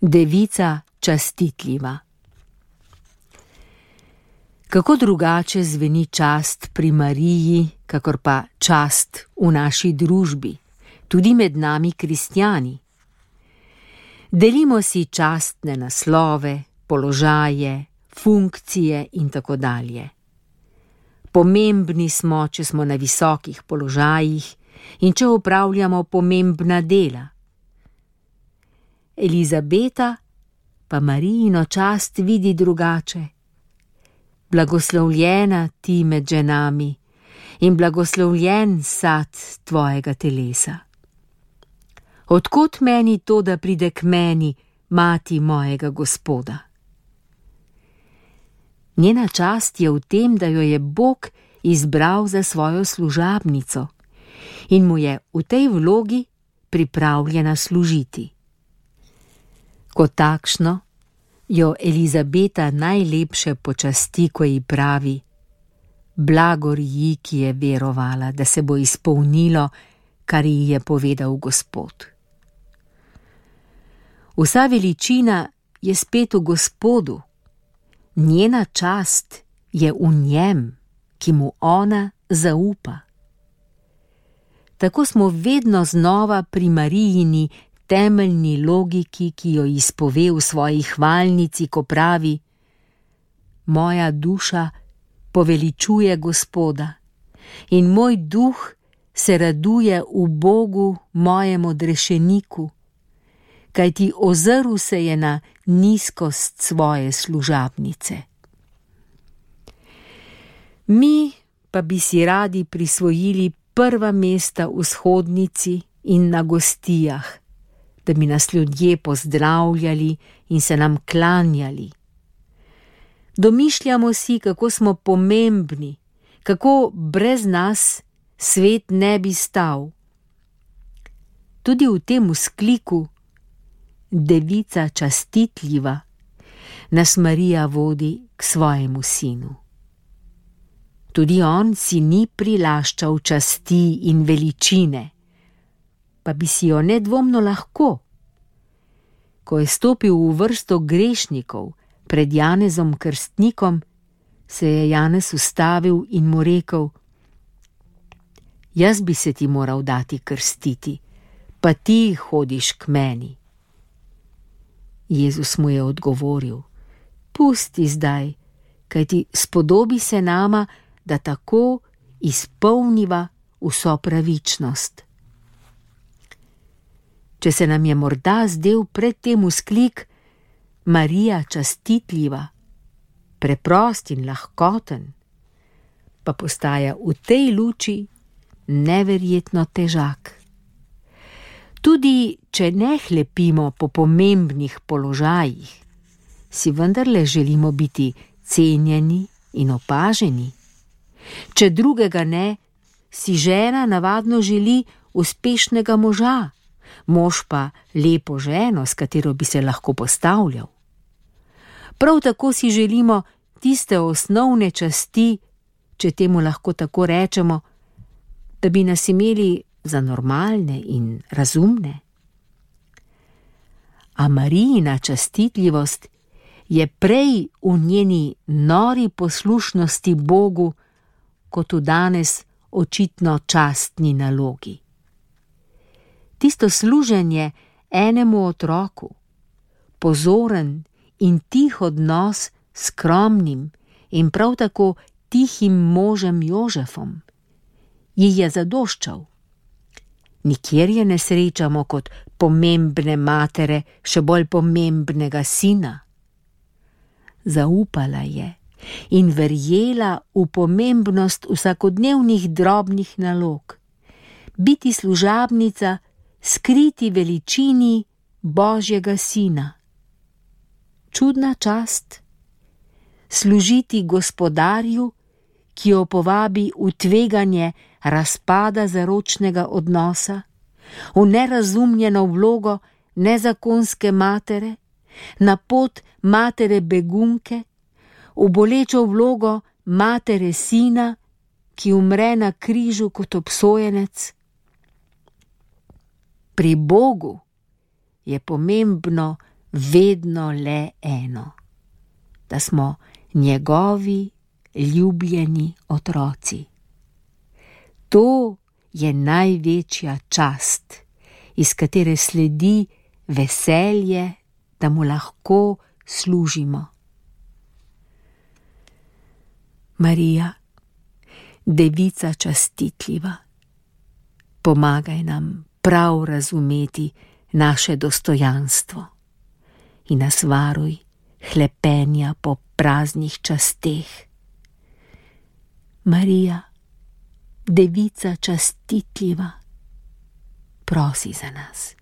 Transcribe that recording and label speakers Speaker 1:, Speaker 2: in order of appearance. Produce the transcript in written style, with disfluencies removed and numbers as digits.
Speaker 1: Devica častitljiva. Kako drugače zveni čast pri Mariji, kakor pa čast v naši družbi, tudi med nami kristjani. Delimo si častne naslove, položaje, funkcije in tako dalje. Pomembni smo, če smo na visokih položajih in če opravljamo pomembna dela. Elizabeta pa Marijino čast vidi drugače. Blagoslovljena ti med ženami in blagoslovljen sad tvojega telesa. Odkot meni to, da pride k meni mati mojega Gospoda? Njena čast je v tem, da jo je Bog izbral za svojo služabnico in mu je v tej vlogi pripravljena služiti. Kot takšno jo Elizabeta najlepše počasti, ko ji pravi: blagor ji, ki je verovala, da se bo izpolnilo, kar ji je povedal Gospod. Vsa veličina je spet v Gospodu, njena čast je v njem, ki mu ona zaupa. Tako smo vedno znova pri Marijini temeljni logiki, ki jo izpove v svoji hvalnici, ko pravi: moja duša poveličuje Gospoda in moj duh se raduje v Bogu, mojem odrešeniku, kajti ozrl se je na nizkost svoje služabnice. Mi pa bi si radi prisvojili prva mesta v shodnici in na gostijah, da bi nas ljudje pozdravljali in se nam klanjali. Domišljamo si, kako smo pomembni, kako brez nas svet ne bi stal. Tudi v tem vzkliku Devica častitljiva nas Marija vodi k svojemu sinu. Tudi on si ni prilaščal časti in veličine, pa bi si jo nedvomno lahko. Ko je stopil v vrsto grešnikov pred Janezom Krstnikom, se je Janez ustavil in mu rekel: jaz bi se ti moral dati krstiti, pa ti hodiš k meni. Jezus mu je odgovoril: pusti zdaj, kajti spodobi se nama, da tako izpolniva vso pravičnost. Če se nam je morda zdel pred tem vzklik Marija častitljiva, preprost in lahkoten, pa postaja v tej luči neverjetno težak. Tudi če ne hlepimo po pomembnih položajih, si vendarle želimo biti cenjeni in opaženi. Če drugega ne, si žena navadno želi uspešnega moža, mož pa lepo ženo, s katero bi se lahko postavljal. Prav tako si želimo tiste osnovne časti, če temu lahko tako rečemo, da bi nas imeli za normalne in razumne. A Marijina častitljivost je prej v njeni nori poslušnosti Bogu, kot v danes očitno častni nalogi. Tisto služenje enemu otroku, pozoren in tih odnos s skromnim in prav tako tihim možem Jožefom, ji je zadoščal. Nikjer je ne srečamo kot pomembne matere, še bolj pomembnega sina. Zaupala je in verjela v pomembnost vsakodnevnih drobnih nalog, biti služabnica skriti veličini Božjega sina. Čudna čast, služiti Gospodarju, ki jo povabi v tveganje razpada zaročnega odnosa, v nerazumljeno vlogo nezakonske matere, na pot matere begunke, v bolečo vlogo matere sina, ki umre na križu kot obsojenec. Pri Bogu je pomembno vedno le eno, da smo njegovi ljubljeni otroci. To je največja čast, iz katere sledi veselje, da mu lahko služimo. Marija, devica častitljiva, pomagaj nam prav razumeti naše dostojanstvo in nas varuj hlepenja po praznih časteh. Marija, devica častitljiva, prosi za nas.